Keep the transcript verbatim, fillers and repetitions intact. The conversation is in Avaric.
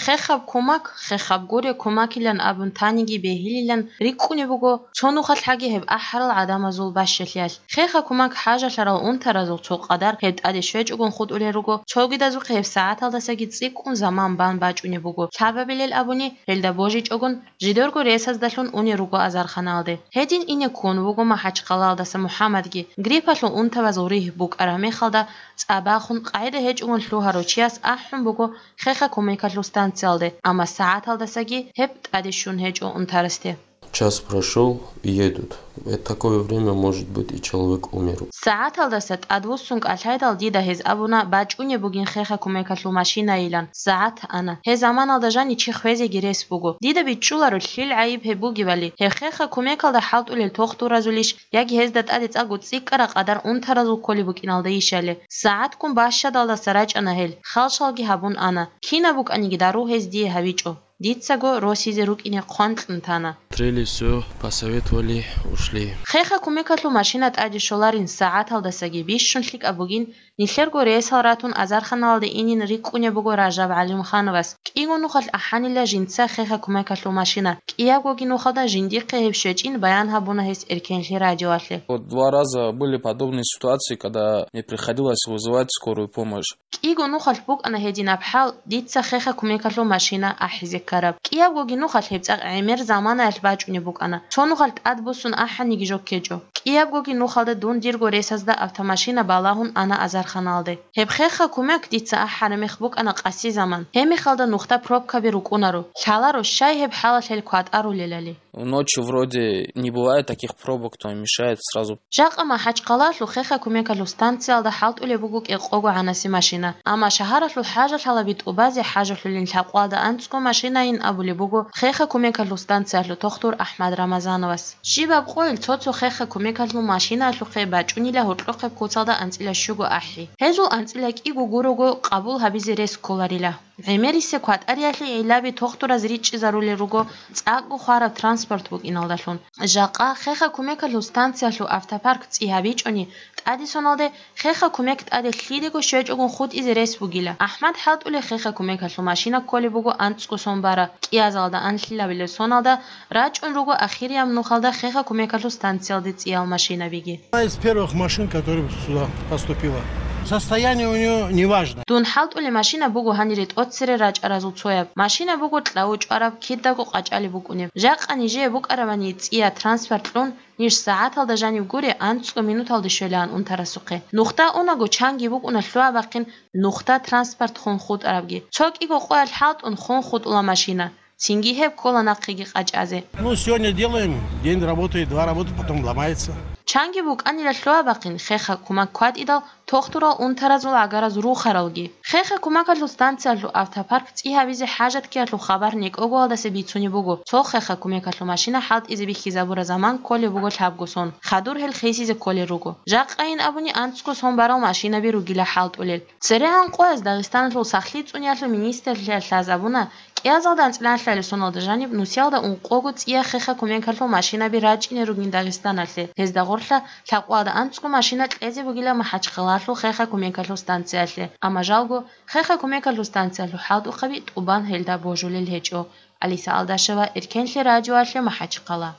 Хехаб кумак, хехаб гуре кумакилан абун таниги бегьилилан рикӀкӀунеб буго цо нухалъ гьагиб гьеб ахӀарал гӀадамазул бащалъиялъ. Хеха кумак хӀажалъарал унтаразул цо къадар гьеб тӀаде щвечӀогун хутӀулел руго, цогидазухъе гьеб сагӀаталдасаги цӀикӀкӀун заман бан бачӀунеб буго. Лъабабилел абуни, гьелда божичӀогун, жидерго ресаздалъун унел руго азарханалде. Гьедин ине ккун вуго МахӀачхъалаялдаса МухӀаммадги. Гриппалъул унтабазул ригь букӀараб мехалда, цӀа бахун, къагӀида гьечӀогун лъугьарав чияс ахӀун буго Хеха кумекалъул станциялде, амма сагӀаталдасаги гьеб тӀаде щун гьечӀо унтарасде. Час прошёл, едут. В такое время, может быть, и человек умер. СагӀаталдаса тӀадвуссун кӀалъайдал, дида гьез абуна бачӀунеб бугин Хеха кумекалъул машинайилан. СагӀат ана. Гьеб заманалда жанив чи хвезеги рес буго. Дида бичӀчӀуларо, лъил гӀайиб гьеб бугебали. Гьеб Хеха кумекалда хӀалтӀулел тохтуразулищ, яги гьезда тӀаде цӀакъго цӀикӀкӀараб къадар унтаразул кколеб букӀиналдайищали? СагӀатккун бащадалдаса рачӀана гьел, халшалги гьабун ана. Кинаб букӀаниги дару гьез дие гьабичӀо. Дицаго росизе рукӀине хъван кьун тана. Трели всё, посоветовали, ушли. Хеха кумекалъул машина тӀаде щоларин сагӀаталдасаги бищун лъикӀаб бугин, нилъерго рейсал ратун азарханалде инин рикӀкӀунеб буго Ражаб ГӀалимхановас. КӀиго нухалъ ахӀанила жинца Хеха кумекалъул машина. КӀиябгоги нухалда жиндихъе гьеб щвечӀин баян гьабуна гьес Эркенлъи радиоялъе. Вот два раза были подобные ситуации, когда мне приходилось вызывать скорую помощь. КӀиго нухалъ букӀана гьединаб хӀал, дица Хеха кумекалъул машина ахӀизе ккараб. КӀиябгоги нухалъ гьеб цӀакъ гӀемер заманаялъ бачӀунеб букӀана. Цо нухалъ тӀадбуссун ахӀаниги жо ккечӀо. КӀиябгоги нухалда дун дирго ресазда автомашина балагьун ана азарханалде. Гьеб Хеха кумек дица ахӀараб мех букӀана къаси заман. Гьеб мехалда нухда пробкаби рукӀунаро. Лъаларо, щай гьеб хӀалалъ гьел кватӀарулелали. Ночью вроде не бывает таких пробок, то мешает сразу. Жакъа МахӀачхъалалъул Хеха кумекалъул станциялда хӀалтӀулеб буго кӀикъого гӀанаси машина, амма шагьаралъул хӀажалъалаби тӀубазе хӀажалъулин лъабкъоялда анцӀго машинайин абулеб буго Хеха кумекалъул станциялъул тухтур АхӀмад Рамазановас. Щибаб къойил цо-цо Хеха кумекалъул машинаялъухъе бачӀунила гьоркьохъеб куцалда анцӀила щуго ахӀи. Гьезул анцӀила кӀиго гурого къабул гьабизе рес кколарила. ГӀемерисеб кватӀариялъе гӀиллаби тухтураз ричӀчӀизарулел руго цӀакъго хвараб транспорт букӀиналдалъун. Жакъа Хеха кумекалъул станциялъул автопарк цӀи гьабичӀони, тӀаде соналде Хеха кумек тӀаде лъидего щвечӀогун хутӀизе рес бугила. АхӀмад хӀалтӀулеб Хеха кумекалъул машина кколеб буго анцӀго сон бараб, кӀиазалда анлъилабилеб соналда рачӀун руго ахирияб нухалда Хеха кумекалъул станциялде цӀиял машинабиги. Одна из первых машин, которая сюда поступила. Состояние у неё неважное. Дун хӀалтӀулеб машина буго гьанире тӀоцере рачӀаразул цояб. Машина буго кьавучӀвараб, кидаго къачӀалеб букӀунеб. Жакъа нижее букӀарабани цӀия транспорт кьун, ниж сагӀаталда жанив гуре, анцӀго минуталде щвелаан унтарасухъе. Нухда унаго чанги букӀуна лъугьа-бахъин нухда транспорт хун хутӀарабги. Цо кӀиго къоялъ хӀалтӀун хун хутӀула машина. Цинги гьеб ккола нахъеги къачӀазе. Ну, сегодня делаем, день работает, два работает, потом ломается. Чанги букӀанила лъугьа-бахъин Хеха кумак кватӀидал, тухтурал унтаразул гӀагараз рухаралги. Хеха кумекалъул станциялъул автопарк цӀи гьабизе хӀажат ккеялъул хабар некӀогоялдаса бицунеб буго, цо Хеха кумекалъул машина хӀалтӀизе бихьизабураб заман кколеб буго лъабго сон, хадур гьел хисизе кколел руго. Жакъайин абуни анцӀго сон барал машинаби ругила хӀалтӀулел. ЦерегӀан къояз Дагъистаналъул сахлъи цӀуниялъул министрлъиялъ лъазабуна, кӀиазалда анцӀила лъалеб соналда жаниб нусиялда ункъого цӀия Хеха кумекалъул машинаби рачӀине ругин Дагъистаналъе. Гьезда гъорлъа лъабкъоялда анцӀго машина кьезе бугила МахӀачхъалалъул Хеха кумекалъул станциялъе, амма жалго Хеха кумекалъул станциялъул хӀалтӀухъаби тӀубан гьелда божулел гьечӀо. Алиса Алдашева, Эркенлъи радиоялъе, МахӀачхъала.